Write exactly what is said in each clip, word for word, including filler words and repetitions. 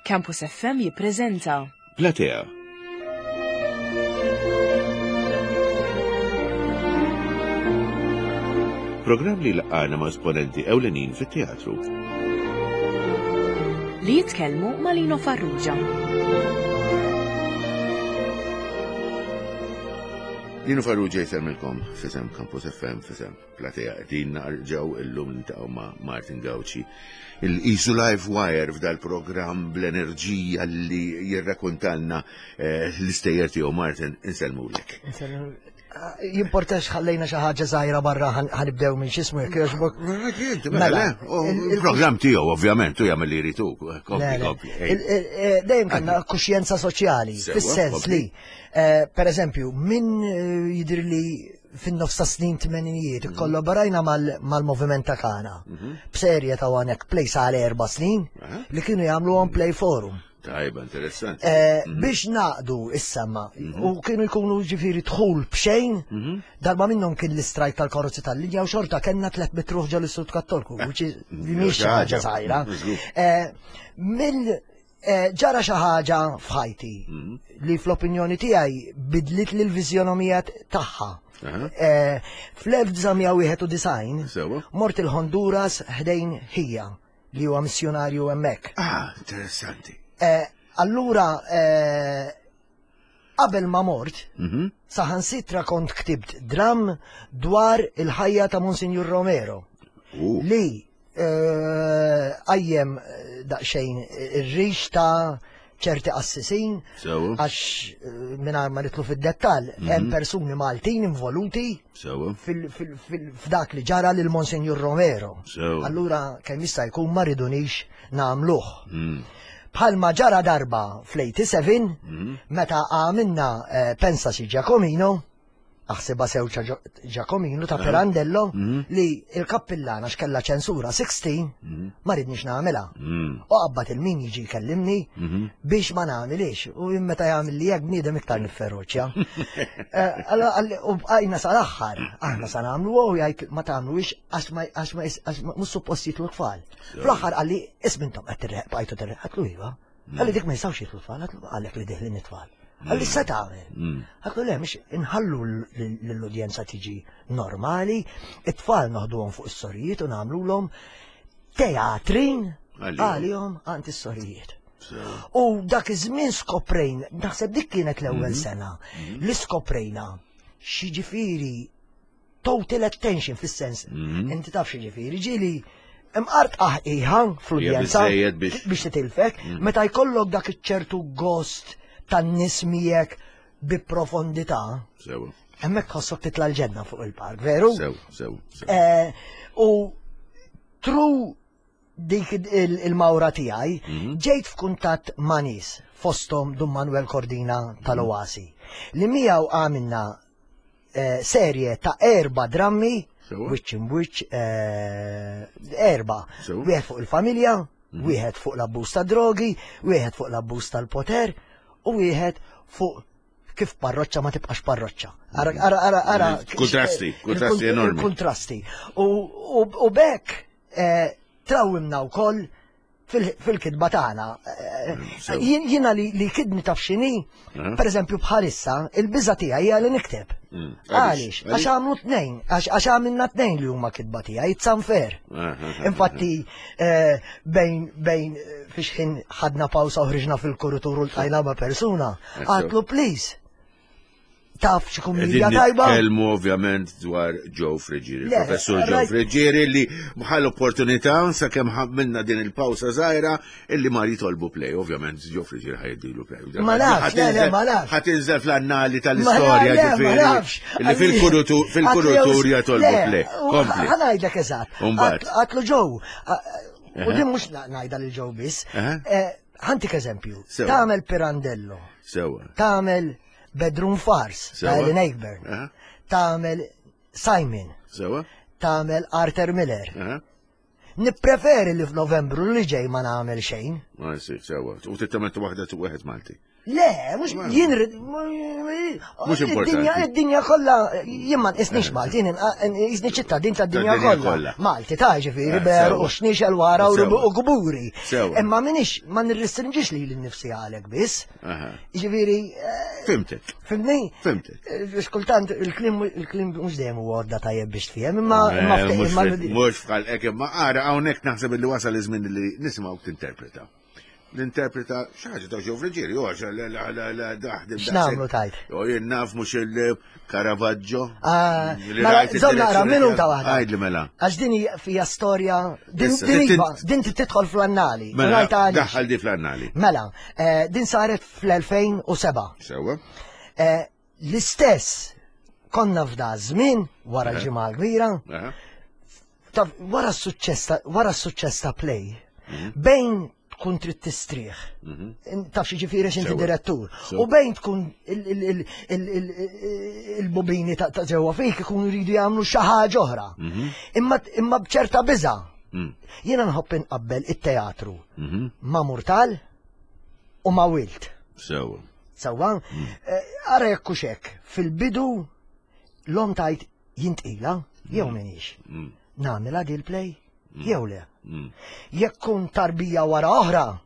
Campus F M jippreżenta Platea. Programm li laqana ma' esponenti ewlenin fit-teatru. Li jitkellmu ma' Lino Farrugia. Lino Farrugia jsellmilkom f'isem Campus F M, f'isem Platea. Qegħdin ġew illum niltaqgħu ma' Martin Gauci. Il-Isu Live Wire f'dal programm bl-enerġija li jirrakuntalna eh, l-istejjer tiegħu. Martin, insellmulek. Jimportax ħallejna xi ħaġa żgħira barra, ħa nibdew minn x'ismu, jekk jogħġbok? Mela, il-programm tiegħu ovvjament u jagħmel li jrid hu. Kompli, kompli. Eh, dejjem kellna kuxjenza soċjali, fis-sens li, eh, per eżempju, minn eh, jidir li fin-nofs ta' snin tmeninijiet mhm. kollaborajna mal-moviment ta' Kana mhm. b'serje ta' one act plays għal erba' snin li kienu jagħmlu one play forum. Tajba, interessanti. Eh, mhm. Biex naqdu is-sema u kienu jkunu ġifieri dħul b'xejn, darba minnhom kien l-istrajk tal-karozzi tal-linja u xorta kellna tliet mitt ruħ ġol-Istitut Kattolku, which is li mhix xi ħaġa żgħira. Eh, Mill eh, ġara xi ħaġa f'ħajti li fl-opinjoni tiegħi bidlit li l-viżjonomija tagħha. Eh, Fl-elf disa' mija wieħed u disgħin Sewa. mort il-Honduras ħdejn ħija li huwa missjonarju hemmhekk. Ah, interessanti. Eh, Allura, eh, qabel ma mort, Mhm. saħansitra kont ktibt dram dwar il-ħajja ta' Monsignor Romero Uh, li eh, għajjem eh, daqsxejn ir-rix ta' ċerti qassisin Sewa, għax eh, mingħajr ma nidħlu fid-dettall hemm persuni Maltin involuti sewa, fil- fil- fil- f'dak li ġara lil Monsignor Romero. sewa. Allura kemm jista' jkun ma ridunix nagħmluh. Mm, Bħalma ġara darba fl-tminja u sebgħin mm, meta għamilna eh, Pensaci Giacomino, aħsibha sew Giacomino ta' Pirandello, Mhm. li il-kappillana x'kella ċensura sittax mm, ma ridniex nagħmilha. mm, U qabbat il-min jiġi jkellimni mhm. biex ma nagħmilix. U jien meta jagħmel li jekk bniedem iktar nifferoċja. Eh, allora, għalli- U bqajna sal-aħħar, aħna sa nagħmlu u jgħid ma tagħmluix għax ma għax ma għax ma mhux suppost jidħlu tfal. Fl-aħħar qalli, ismintom qed tirreq bqajtu tirreq, għedtlu iva. Qalli dik ma jistgħux jidħlu tfal, għedtlu għalek li deħlin it-tfal. Qalli se tagħmel. Mm. Għedtlu le, mhux inħallu l-udjenza tiġi normali, it-tfal noħduhom fuq is-sorijiet u nagħmluhom teatrin Għalihom. għalihom għand is-sorijiet. Sewa. U dak iż-żmien skoprejn, naħseb dik kienet l-ewwel sena li skoprejna x'jiġifieri total attention fis-sens. Mhm. Inti taf x'jiġifieri, ġieli imqart aħqiħa fl-udjenza biżżejjed biex- biex titilfek, meta jkollok dak iċ-ċertu gost tan-nies miegħek bi profondità, Sewa, hemmhekk tħossok titla' l-ġenna fuq il-park, veru? sew, sew, sew. Eh, U through dik il- il-mawra tiegħi Mhm. ġejt f'kuntatt ma' nies fosthom Dun Manuel Cordina tal-Oasi li miegħu għamilna eh, serje ta' erba drammi Sewa. which in which eh, erba, Sewa. wieħed fuq il-familja, wieħed fuq l-abbuż ta' drogi, wieħed fuq l-abbuż tal-poter u wieħed fuq kif parroċċa ma tibqax parroċċa. Ara, ara, ara, ara. Kontrasti, kontrasti Il- enormi. Il-kontrasti. U, u, u bekk eh, trawimna wkoll fil- fil-kitba tagħna. Eh, sew. jien- Jiena li, li kidni taf x'inhi, Eh? per eżempju bħalissa, il-biża tiegħi hija li nikteb. Mm. Għaliex? Għax għamlu tnejn, għax għax għamilna tnejn li huma kitba tiegħi, it's unfair. Ah, ah, ah, Infatti, eh, bejn bejn eh, fiex ħin ħadna pawsa u ħriġna fil-kuritur u ltqajna ma' persuna, Sew. għedtlu please. Taf xi kumedja Qegħdin tajba? nitkellmu ovvjament dwar Joe Friggieri, Le, professur Joe right. Friggieri li bħal opportunità sakemm ħammilna din il-pawsa żgħira illi mar jitolbu play, ovvjament Joe Friggieri ħa jiddilu play. Ma nafx, le, le, ma nafx. Ħa tinżel fl-annali Ma tal-istorja le, ma ġifieri. nafx. Illi fil-kurutur fil-kurutur jitolbu Le, play. u Kompli. Ħa ngħidlek eżatt. Umbagħad. Għedtlu Joe, u din mhux ngħidha lil Joe biss. Aha. Eh, Ħa ntik eżempju. Sewa. Tagħmel Pirandello, Sewa. tagħmel Bedroom Farce ta' Sewa. Ellen Ayckbourn, Aha. tagħmel Simon, Sewa. tagħmel Arthur Miller. Aha. Nippreferi li f'Novembru li ġej ma nagħmel xejn. Ma jsir, sewa. U titament waħda tu wieħed Malti. Le, mhux jien Mhux importanti. Id-dinja kollha jien ma nqisnix Malti, jien nqisni ċittadin tad-dinja kollha. Malti ta' ġifieri ber u xnixel wara u gburi. Imma minix ma nirrestringix lili nnifsi għalek biss. Ġifieri. Fimtek. Fimni? Fimtek. Xkultant il-kliem il-kliem mhux dejjem huwa għodda tajjeb biex tfiem, imma mhux f'ħalqek imma ara hawnhekk naħseb li wasal iż-żmien li nisimgħu tinterpreta. L-interpreta xaġa ta' ġew Friġieri, u għax la la la la daħdem. X'nagħmlu tajt? Jo jien naf mhux il-Caravaggio. Mela, żomm naqra minuta waħda. Għidli mela. Għax din hija storja din iva, din tidħol fl-annali. Mela, daħħal di fl-annali. Mela, din saret fl-elfejn u seba'. Sewwa. L-istess konna f'da żmien wara l-ġimgħa l-kbira. Wara s-suċċess wara s-suċċess ta' play bejn tkun trid tistrieħ. Taf xi ġifieri x'inti direttur. U bejn tkun il-bobini ta' ġewwa fik ikunu jridu jagħmlu xi ħaġa oħra. Imma b'ċerta biża'. Jiena nħobb inqabbel it-teatru ma' Murtal u ma' Wilt. Sewwa. Sewwa? Ara jekk hux hekk, fil-bidu l-om tajt jien tqila jew m'iniex. Nagħmilha dil play jew le. Jekk kun tarbija wara oħra,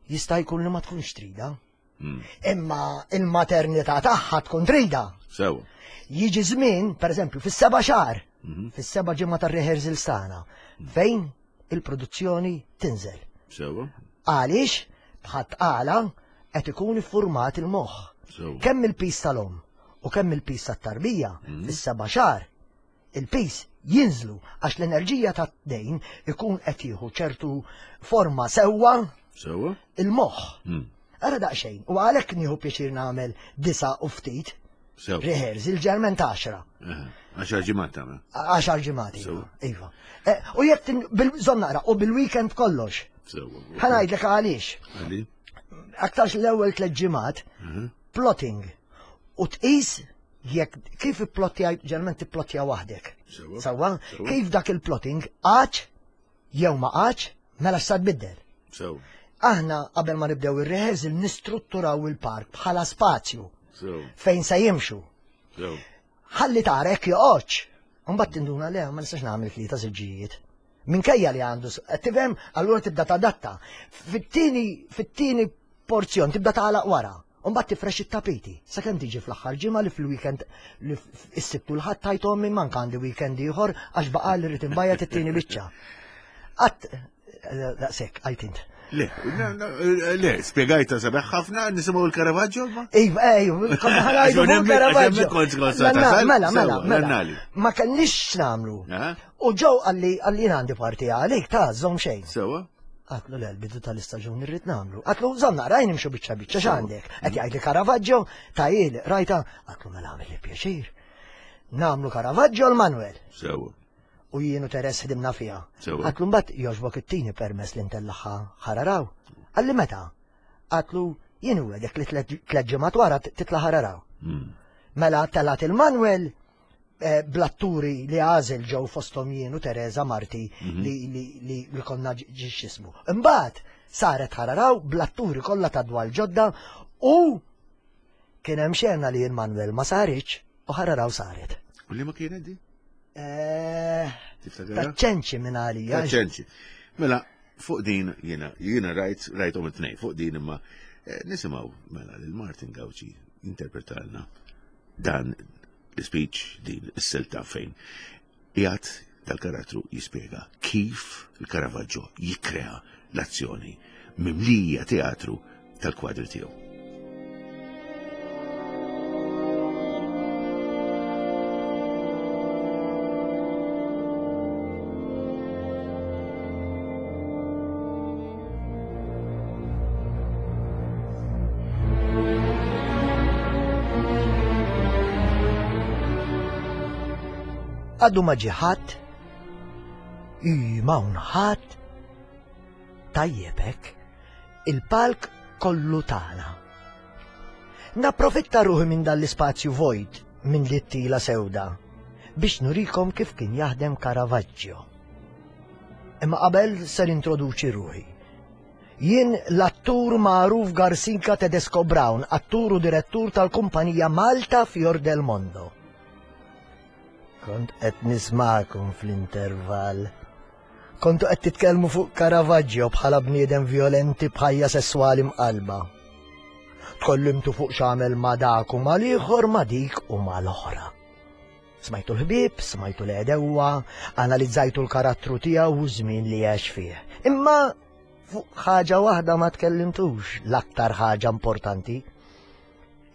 jista' jkun li ma tkunx trida. Imma il-maternità tagħha tkun trida. Sewa. Jiġi żmien, pereżempju, fis-seba' xahar, fis-seba' ġimgħa tar-rehearsals tagħna, fejn il-produzzjoni tinżel. Sewa. Għaliex bħat tqala qed ikun iffurmat il-moħħ. Kemm il-pis tal-omm u kemm il-pis tat-tarbija fis-seba' xahar, il-pis jinżlu għax l-enerġija ta' dejn ikun qed jieħu ċertu forma sewwa sewwa il-moħħ. Ara daqsxejn, u għalhekk nieħu pjaċir nagħmel disa' u ftit rehearsal ġermen ta' għaxra. Għaxar ġimgħat tagħmel. Għaxar ġimgħat, iva. U jekk bil-bżonn naqra u bil-weekend kollox. Sewwa. Ħa ngħidlek għaliex. Għali? Aktarx l-ewwel tliet ġimgħat plotting u tqis jekk kif ipplottja, ġeneralment tipplottja waħdek. Sewwa? Kif dak il-plotting għax jew ma għax, mela x'sa tbiddel. Sewwa. Aħna qabel ma nibdew ir-rehearsal nistrutturaw il-park bħala spazju. Fejn se jimxu. Ħalli tara hekk joqgħodx. Imbagħad tinduna le ma nistax nagħmel tlieta siġġijiet. Minkejja li għandu, tifhem, allura tibda tadatta. Fit-tieni fit-tieni porzjon tibda tagħlaq wara. Mbagħad tifrex it-tapiti. Sakemm tiġi fl-aħħar ġimgħa li fil-weekend li s-Sibt u l-Ħadd tajthom minn manka għandi weekend ieħor għax baqa' li rrid inbajjat it-tieni biċċa. Qatt daqshekk għajt int. Le, le, spjegajta sabiħ ħafna, nisimgħu l-Caravaggio ma? Iva, ejju, konna ħanajdu l-Caravaggio. Mela, mela, mela. Ma kellix x'nagħmlu. U ġew qalli qalli jien għandi parti għalik ta' żomm xejn. Sewwa. Għatlu le, l-bidu tal-istaġun irrid nagħmlu. Għatlu żomm naqra jien nimxu biċċa biċċa x'għandek. Qed jgħidli Caravaggio, tajjel, rajta, għatlu mela għamel li pjaċir. Nagħmlu Caravaggio l-Manuel. Sewwa. U jien u Teres ħdimna fiha. Għatlu mbagħad jogħġbok it-tieni permess li ntellaħħa ħararaw. Qalli meta? Għatlu jien wegħdek li tliet ġimgħat wara titla' ħararaw. Mela telat il-Manuel blatturi li għażel ġew fosthom jien u Teresa Marti li li konna ġixxismu. Imbagħad saret ħararaw blatturi kollha ta' dwal ġodda u kien hemm xena li l-Manuel ma saritx u ħararaw saret. U li ma kienet di? Taċċenċi minn għalija. Taċċenċi. Mela, fuq din jiena jiena rajt rajthom it-tnejn fuq din imma nisimgħu mela lil Martin Gauci interpretalna dan l-speech din is-silta fejn qiegħed tal-karattru jispjega kif il-Caravaggio jikkrea l-azzjoni mimlija teatru tal-kwadri tiegħu. Għaddu ma ġie ħadd, ma hawn ħadd, tajjeb hekk, il-palk kollu tagħna. Napprofitta ruħi minn dan l-ispazju vojt minn li t-tila sewda biex nurikom kif kien jaħdem Caravaggio. Imma qabel se nintroduċi ruħi. Jien l-attur L-attur magħruf Garsinka Tedesco Brown, attur u direttur tal-kumpanija Malta Fior del Mondo. Kont qed nismakom fl-intervall. Kontu qed titkellmu fuq Caravaggio bħala bniedem violenti b'ħajja sesswali mqalba. Tkellimtu fuq x'għamel ma' dak u mal-ieħor ma' dik u mal-oħra. Smajtu l-ħbieb, smajtu l-għedewwa, analizzajtu l-karattru tiegħu u żmien li għex fih. Imma fuq ħaġa waħda ma tkellimtux, l-aktar ħaġa importanti,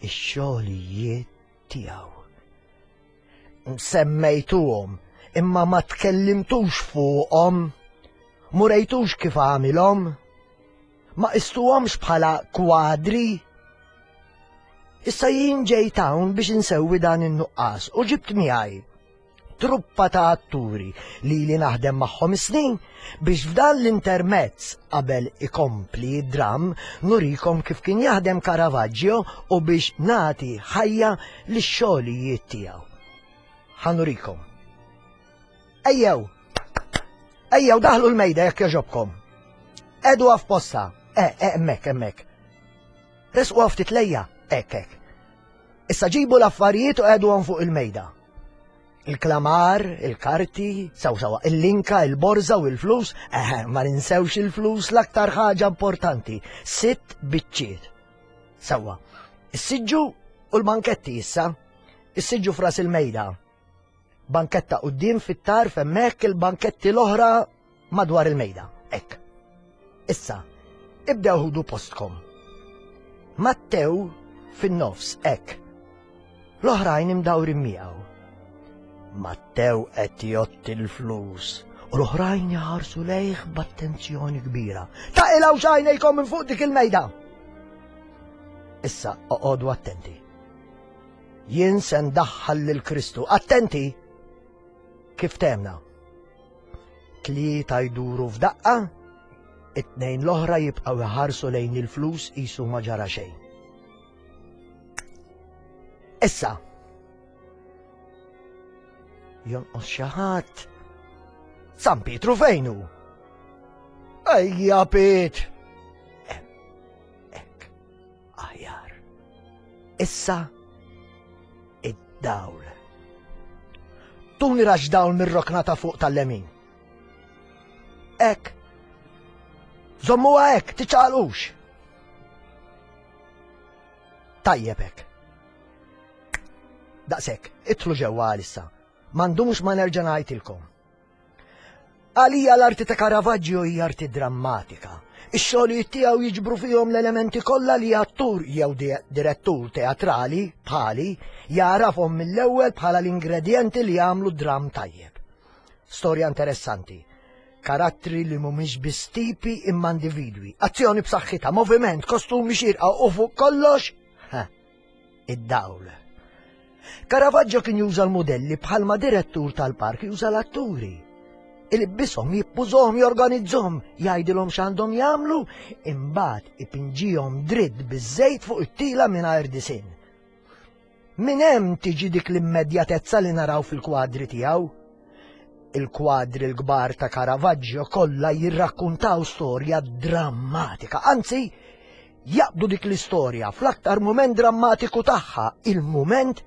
ix-xogħlijiet tiegħu. Semmejtuhom, imma ma tkellimtux fuqhom, m'urejtux kif għamilhom, ma qistuhomx bħala kwadri. Issa jien ġejt hawn biex insewwi dan in-nuqqas u ġibt miegħi truppa ta' atturi li li naħdem magħhom snin biex f'dan l-intermezz qabel ikompli d-dram nurikom kif kien jaħdem Caravaggio u biex nagħti ħajja lix-xogħlijiet tiegħu. Ħa nurikom. Ejjew! Ejjew daħlu l-mejda jekk jogħġobkom. Qegħdu f'postha. Eh, eh, hemmhekk, hemmhekk. Resqu ftit lejja, hekk, hekk. Issa ġibu l-affarijiet u qegħduhom fuq il-mejda. Il-klamar, il-karti, sew sewa, il-linka, il-borza u il-flus, eh, ma ninsewx il-flus l-aktar ħaġa importanti, sitt biċċiet. Sewwa, is-siġġu u l-banketti issa, is-siġġu f'ras il-mejda. Banketta quddiem fit-tarf hemmhekk il-banketti l-oħra madwar il-mejda, hekk. Issa, ibdew ħudu postkom. Mattew fin-nofs, hekk. L-oħrajn imdawrin miegħu. Mattew qed jgħodd il-flus u l-oħrajn jaħarsu lejh b'attenzjoni kbira. Taqilgħux għajnejkom minn fuq dik il-mejda! Issa oqogħdu attenti. Jien se ndaħħal lil Kristu. Attenti! Kif temna? Tlieta jduru f'daqqa, it-tnejn l-oħra jibqgħu jħarsu lejn il-flus qisu ma ġara xejn. Issa, jonqos xi ħadd. San Pietru fejn hu? Ejja Piet! Hekk, aħjar. Issa id-dawl. Tuni raġġ dawl mir-rokna ta' fuq tal-lemin. Hekk. Żommuha hekk, tiċċaqalqux. Tajjeb hekk. Daqshekk, idħlu ġewwa għalissa. M'għandux ma nerġa' ngħidilkom. Għalija l-arti ta' Caravaggio hija arti drammatika. Ix-xogħlijiet tiegħu jiġbru fihom l-elementi kollha li attur jew direttur teatrali bħali jarafhom mill-ewwel bħala l-ingredjenti li jagħmlu dram tajjeb. Storja interessanti. Karattri li mhumiex biss tipi imma individwi. Azzjoni b'saħħitha, moviment, kostumi xirqa u fuq kollox, id-dawl. Caravaggio kien juża l-modelli bħalma direttur tal-park juża l-atturi. Ilibbishom, jippużhom, jorganizzhom, jgħidilhom x'għandhom jagħmlu, imbagħad ipinġihom dritt biż-żejt fuq it-tila mingħajr disinn. Min hemm tiġi dik l-immedjatezza li naraw fil-kwadri tiegħu? Il-kwadri l-kbar ta' Caravaggio kollha jirrakkuntaw storja drammatika, anzi jaqbdu dik l-istorja fl-aktar mument drammatiku tagħha, il-mument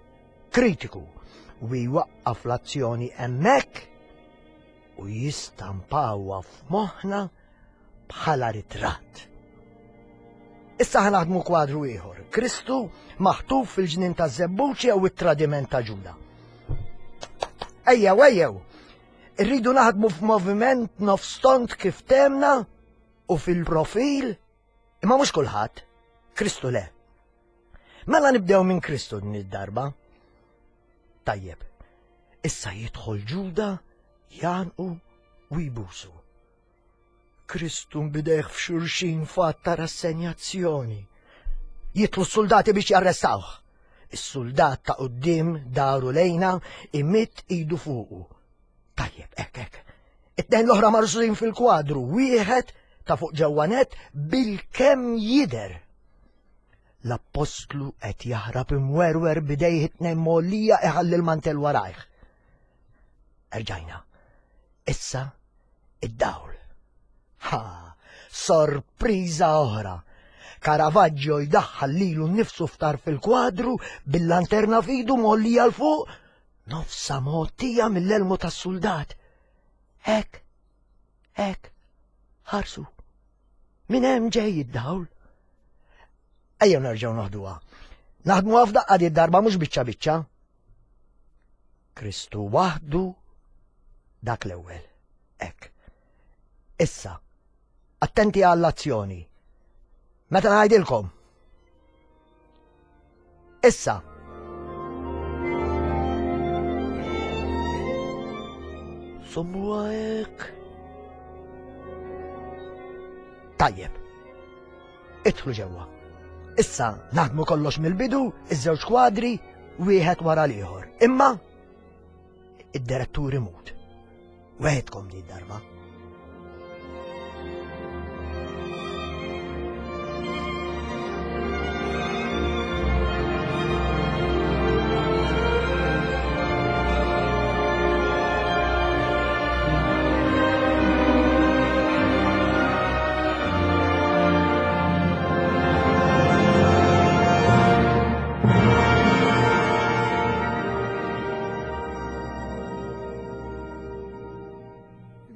kritiku, u jwaqqaf l-azzjoni hemmhekk u jistampawha f'moħħna bħala ritratt. Issa ħa naħdmu kwadru ieħor, Kristu maħtuf fil-ġnien taż-żebbuġ jew it-tradiment ta' Ġuda. Ejjew, ejjew, irridu naħdmu f'moviment nofstont kif temna u fil-profil, imma mhux kulħadd, Kristu le. Mela nibdew minn Kristu din id-darba. Tajjeb, issa jidħol Ġuda, jgħannqu u jbusu. Kristu b'idejh f'xulxin f'att ta' rassenjazzjoni. Jitilgħu s-soldati biex jarrestawh. Is-soldat ta' quddiem daru lejna imidd idu fuqu. Tajjeb, hekk, hekk. It-tnejn l-oħra marsusin fil-kwadru, wieħed ta' fuq ġewwanet bil-kemm jidher. L-appostlu qed jaħrab imwerwer b'idejh it-tnejn mgħollija iħalli l-mantel warajh. Erġajna. Issa id-dawl. Ha, sorpriża oħra. Caravaggio jdaħħal lilu nnifsu ftar fil-kwadru bil-lanterna f'idu mgħollija 'l fuq, nofsa mgħottija mill-elmu tas-suldat. Hekk, hekk, ħarsu. Minn hemm ġej id-dawl. Ejjew nerġgħu noħduha. Naħdmuha f'daqqa di darba mhux biċċa biċċa. Kristu waħdu dak l-ewwel. Hekk. Issa, attenti għall-azzjoni. Meta ngħidilkom. Issa. Sommuha hekk. Tajjeb. Idħlu ġewwa. Issa naħdmu kollox mill-bidu, iż-żewġ kwadri, wieħed wara l-ieħor. Imma id-direttur imut. Weħedkom di darba.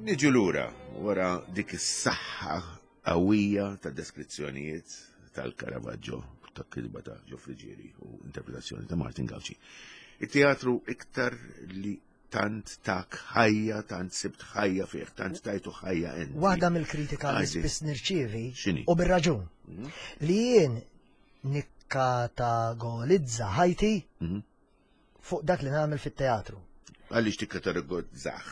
Niġu lura wara dik is-saħħa qawwija ta' deskrizzjonijiet tal-Caravaggio, ta' kitba ta' Joe Friggieri u interpretazzjoni ta' Martin Gauci. Il-teatru iktar li tant tak ħajja, tant sibt ħajja fih, tant tajtu ħajja inti. Waħda mill-kritika li Għajdi. spiss nirċievi X'inhi? u bir-raġun li jien nikkategolizza ħajti Mhm. fuq dak li nagħmel fit-teatru. Għaliex tikkategorizzah?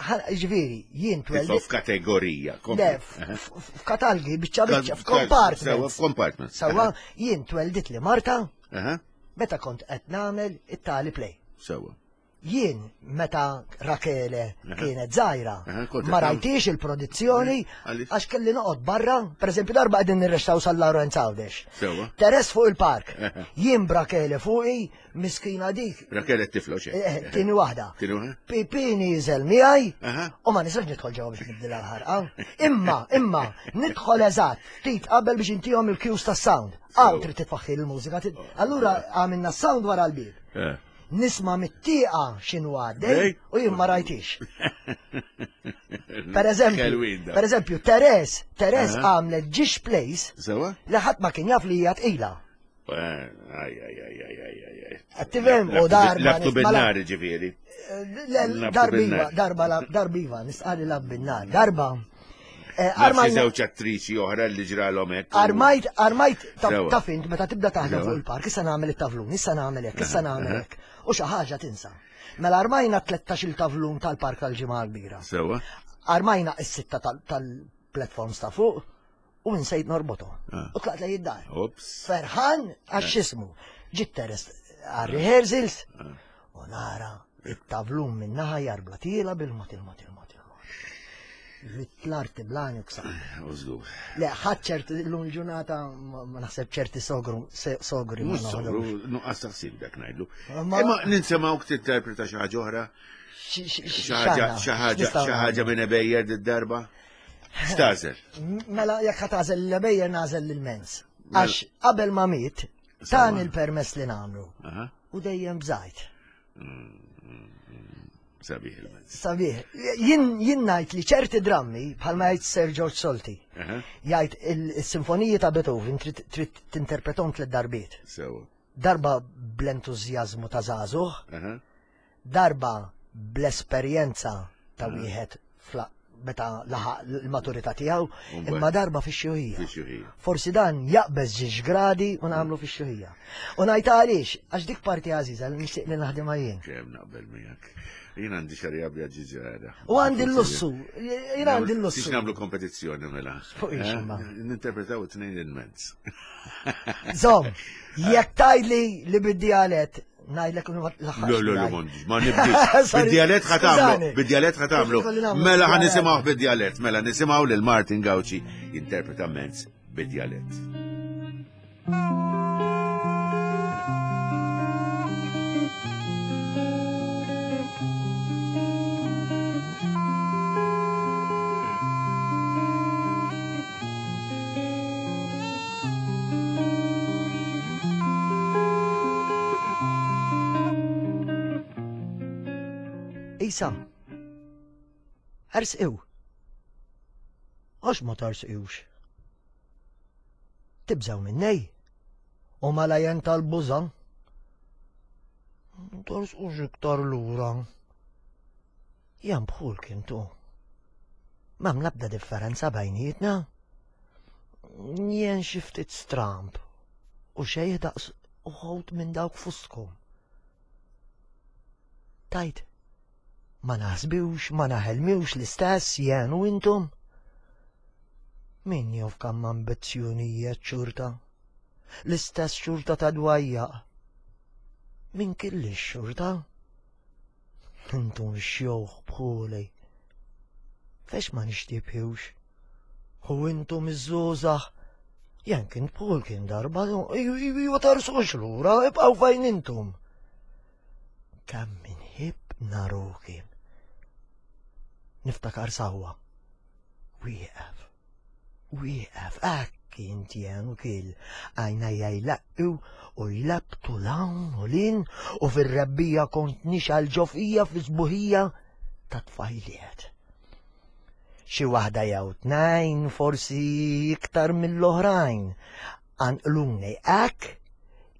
Ġifieri, jien Titfa' twellidt f'kategorija. Le, f- f- f'katalgi, biċċa biċċa, f'compartments. Sewa, f'compartments. Sewa, jien tweldit li Marta Aha, meta kont qed nagħmel it-tali play. Sewa. Jien meta Rakele kienet żgħira, Aha, kont ma qed rajtix il-produzzjoni Għaliex? għax kelli noqgħod barra, pereżempju darba qegħdin nirrextaw San Lawrenz Għawdex. Sewa. Teres fuq il-park. Aha. Jien b'Rakele fuqi, miskina dik, Rakele t-tifla u xejn. eh, tieni waħda. Tieni waħda? Pipini jiżel miegħi Aha. u ma nistax nidħol ġewwa biex nibdilha l-ħarqa. Imma, imma, nidħol eżatt ftit qabel biex intihom il-cues tas-sound. Għaw trid titfaħħi l-mużika. tid- Allura għamilna s-sound wara l-bib. Eh. Nisma' mit-tieqa x'inhu għaddej Dej. u jien ma rajtix. Per eżempju, Kelwin da. per eżempju, Teres, Teres Aha. għamlet ġiex place Sewa? li ħadd ma kien jaf li hija tqila. Eh, Aj, aj, aj, aj, aj, aj, aj. Qed tifhem? U darba Labtu nisma' bin-nar ġifieri. Le, Labtu Darbiva, bin-nar. darba, lab- darbiva, nisqali lab bin-nar. Darba. Eh, Nafsi Armajna, żewġ attriċi oħra li ġralhom hekk. armajt, armajt, ta' Sewa. ta' fint, meta tibda taħdem Sewa. fuq il-park, issa nagħmel it-tavlun, issa nagħmel hekk, issa nagħmel hekk. U xi ħaġa tinsa. Mela armajna tlettax-il tavlun tal-park tal-Ġimgħa l-Kbira. Sewa. Armajna is-sitta tal- tal-platforms ta' fuq u nsejt norbotu. Ah. U tlaqt lejn id-dar. Ops. Ferħan għax x'ismu. Ġiet Teres għar-rehearsals u nara it-tavlun minn naħa jarbla tiela bil-mod il-mod il-mod il-mod. Rit l-arti blani u ksar. Użgur. Le, ħadd ċerti l-lum il-ġurnata ma ma naħseb ċerti sogru, se- sogri ma Mhux sogru, noħodhomx. nuqqas taħsib dak ngħidlu. Ma- Imma ninsemgħu tinterpreta xi ħaġa oħra. Xi- xi- Xi ħaġa x'għandna? xi ħaġa X'nistgħu xi ħaġa minn ebejjer d-darba. X'tażel? nagħmlu? Mela jekk ħa tagħżel l-ebejjer nagħżel l-mens. Għax qabel ma miet, tan il-permess li nagħmlu. Aha. U dejjem bżajt. Sabiħ il-mezz. Sabiħ, jien jien ngħid li ċerti drammi bħalma jgħid Sir George Solti, Aha. jgħid il-sinfoniji ta' Beethoven trid trid tinterpretom tliet darbiet. Sewa. Darba bl-entużjażmu ta' żagħżugħ, Aha. darba bl-esperjenza ta' wieħed fla- meta laħaq l-maturità tiegħu, Mbagħad. imma darba fix-xjuħija. Fix-xjuħija. Forsi dan jaqbeż ġiex gradi u nagħmlu fix-xjuħija. U ngħid għaliex, għax dik parti għażiża li nixtieq li naħdimha jien. Kemm naqbel miegħek. Jien għandi xarja bjaġġi ġara. U għandi l-lussu, jien għandi l-lussu. Tix nagħmlu kompetizzjoni mela. Fuq ix, Eh? imma. Ninterpretaw it-tnejn il-mezz. Zom, jekk tgħidli li bid-djalett, ngħidlek l-aħħar. Le, le, le, m'għandix, ma nibdix. Sorry, Bid-djalett ħa tagħmlu, skużani. bid-djalett ħa tagħmlu. Kolli nagħmlu Mela ħa bid-djalett. nisimgħu bid-djalett, mela nisimgħu lil Martin Gauci jinterpreta mezz bid-djalett. Isa. Ersqiw. Għax ma tarsqiwx. Tibżaw minnej. U malajen tal-buża. Tarsqux iktar lura. Jan bħul kintu. M'hemm l-ebda differenza bejnietna. Jien xi ftit stramb u xejn daqs uħud minn dawk fustkom. Tajt, ma naħsbiwx, ma naħelmiwx l-istess jien u intom. Min jof kemm ambizzjonijiet xorta, l-istess xorta ta' dwajjaq. Min kelli xorta? Intom xjuħ bħuli. Fex ma nixtibħiwx? U intom iż-żgħażagħ. Jen kien bħul kien darba, ju tarsux lura, ibqgħu fejn intom. Kemm inħib narukim. Niftakar sawwa. Wieqaf. Wieqaf, hekk kien jien u kil. Għajnejja jlaqqu u jlabtu l-hawn u lin u fir-rebbija kont nixgħal ġo fija fi sbuħija ta' tfajliet. Xi waħda jew tnejn, forsi iktar mill-oħrajn, anqluni hekk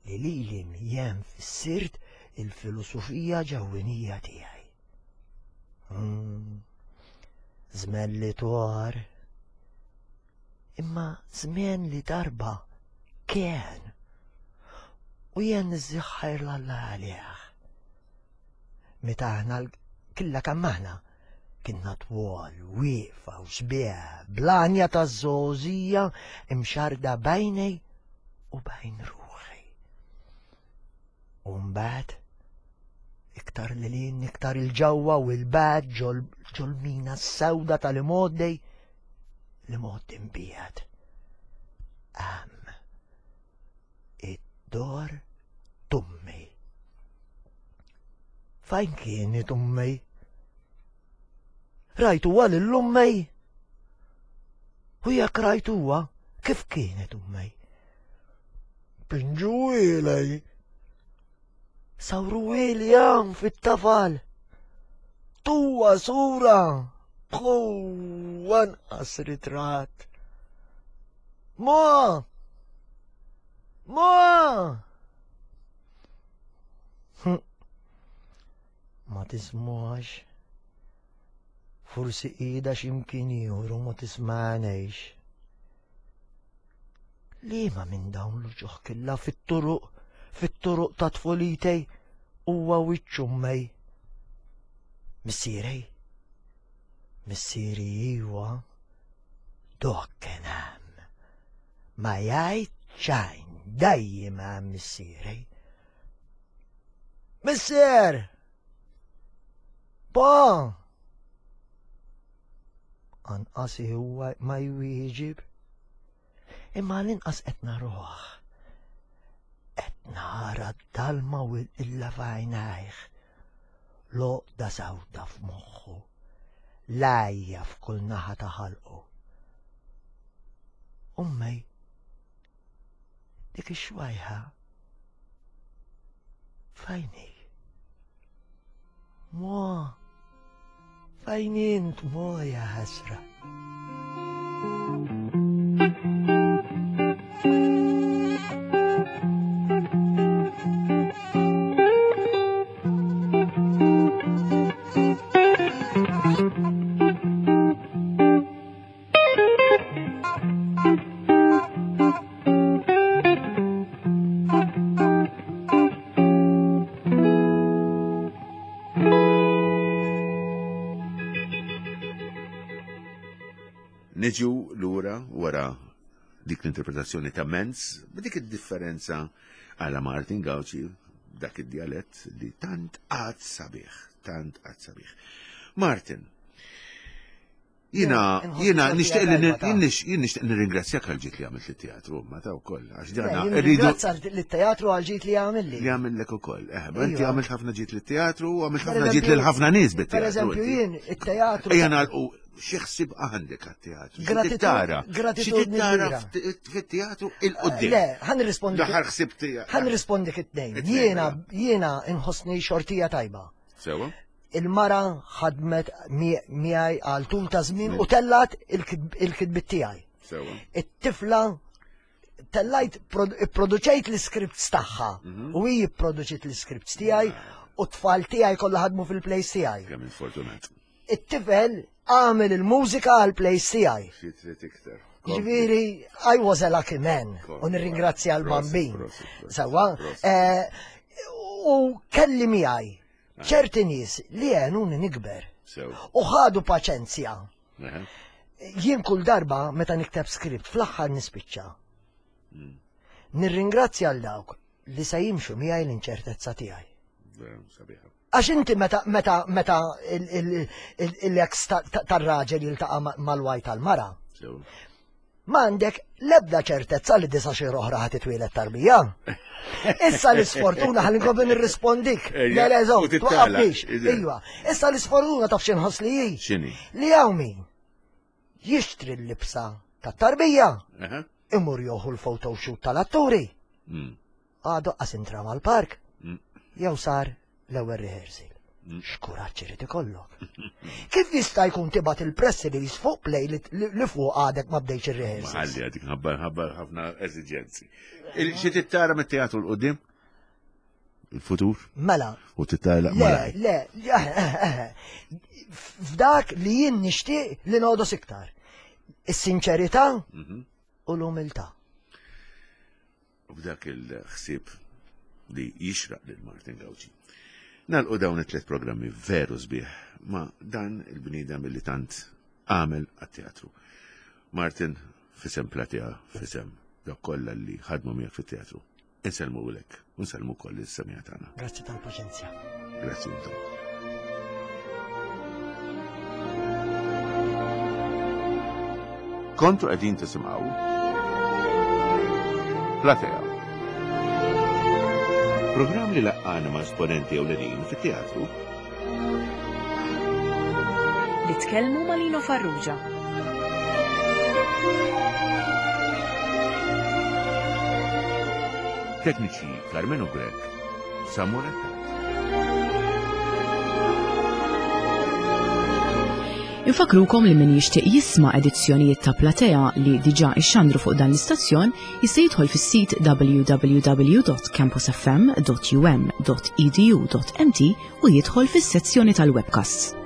li lili jien fissirt il-filosofija ġewwinija tiegħi. Hmm. Żmien li twar, imma żmien li darba kien u jien niżżiħħajr l-Alla għalih. Meta aħna killa kemm aħna kienna twal, wieqfa u sbieħ, blanja ta' żgħożija imxarda bejnej u bejn ruħi. U mbagħad iktar lilin, iktar il-ġewwa u l-bad ġol-mina s-sewda tal-imgħoddej li mod imbiegħed. Hemm id-dor tummi. Fejn kienet ummi? Rajtuha lil ummej? U jekk rajtuha, kif kienet ummej? Pinġuilej. Sawruili hawn fit-tafal. Tuwa sura. Bħu anqas ritratt. Ma! Ma! Ma tismax. Forsi ida x'imkien ieħor u ma tismanejx. Liema minn dawn l-uċuħ killa fit-turuq, fit-turuq ta' tfulitej huwa wiċċ ummej. Missierej? Missieri iwa, dok kien hemm. Ma jgħid xejn, dejjem hemm missierej. Missier! Pa! Anqas huwa ma jwieġib, imma l-inqas qed naruh. Qed nara d-dalma u l-illa f'għajnejh, l-għoqda sewda f'moħħu, l-għajja f'kull naħa ta' ħalqu. Ummej, dik ix-xwajħa fejn hi? Mo, fejn int mo ja ħasra? Niġu lura wara dik l-interpretazzjoni ta' Menz, b'dik id-differenza għala Martin Gauci, dak id-dialett li tant għad sabiħ, tant għad sabiħ. Martin, jina, jina nixtieq li jien nixtieq nirringrazzjak għal ġid li għamilt lit-teatru, ma ta' wkoll, għax dana rridu. Ringrazzja lit-teatru għal ġid li għamilli. Li għamillek ukoll. Eh, inti għamilt ħafna ġid lit-teatru u għamilt ħafna ġid lil ħafna nies bit-teatru. Per eżempju, jien it-teatru. Ejja nagħlqu xi ħsieb għandek għat-teatru? Gratitudni tara fit-teatru il-qudiem. Le, ħa nirrispondi. L-aħħar ħsieb tiegħek. Ħa nirrispondik it-tnejn. Jiena jiena inħossni xortija tajba. Sewa? Il-mara ħadmet miegħi għal tul ta' żmien u tellat il-kitbiet tiegħi. It-tifla tellajt ipproduċejt l-scripts tagħha u hi pproduċiet l-scripts tiegħi u t-tfal tiegħi kollha ħadmu fil-plays tiegħi. Kemm fortunat. It-tifel għamel il-mużika għal plays tiegħi. Xi trid iktar. Ġifieri, I was a lucky man u nirringrazzja l-bambin. Sewwa, u kelli miegħi ċerti nies li għenuni nikber. U ħadu paċenzja. Jien kull darba meta nikteb script fl-aħħar nispiċċa. Nirringrazzja għal dawk li se jimxu miegħi l-inċertezza tiegħi. Għax inti meta meta meta l-ex tar-raġel jiltaqa' mal-wife tal-mara. Ma għandek lebda ċertezza li disa xi oħra ħa titwieled tarbija. Issa l-isfortuna ħalli nkompli nirrispondik. Le le żomm, twaqqafniex. Iva. Issa l-isfortuna taf xi nħoss li hi. X'inhi? Li hawn min jixtri l-libsa tat-tarbija. Imur joħu l-photoshoot tal-atturi. Għadu qas intra mal-park. Jew sar l-ewwel rehearsal. X'kuraġġ irid ikollok. Kif jista' jkun tibgħat il-press release fuq play li fuq għadek ma bdejx ir-rehearsal? Ħalli għadik ħabba ħabba ħafna eżiġenzi. Xi tittara mit-teatru 'l quddiem? Il-futur? Mela. U tittara Le, le, f'dak li jien nixtieq li nogħdos iktar. Is-sinċerità u l-umiltà. U b'dak il-ħsieb li jixraq lil Martin Gauci. Nagħlqu dawn it-tliet programmi veru sbieħ ma' dan il-bniedem li tant għamel għat-teatru. Martin, f'isem Platea, f'isem dawk kollha li ħadmu miegħek fit-teatru. Insellmulek, u nsellmu wkoll is-semmiegħa tagħna. Grazzi tal-paċenzja. Grazzi intom. Kontu qegħdin tisimgħu Platea. Programm li laqqana ma' esponenti ewlenin fit-teatru. Li tkellmu ma' Lino Farrugia. Tekniċi Carmenu Grech, Samuel Attard. Infakrukom li min jixtieq jisma' edizzjonijiet ta' Platea li diġà ixxandru fuq dan l-istazzjon jista' jidħol fis-sit w w w dot campusfm dot u m dot e d u dot m t u jidħol fis-sezzjoni tal-webcasts.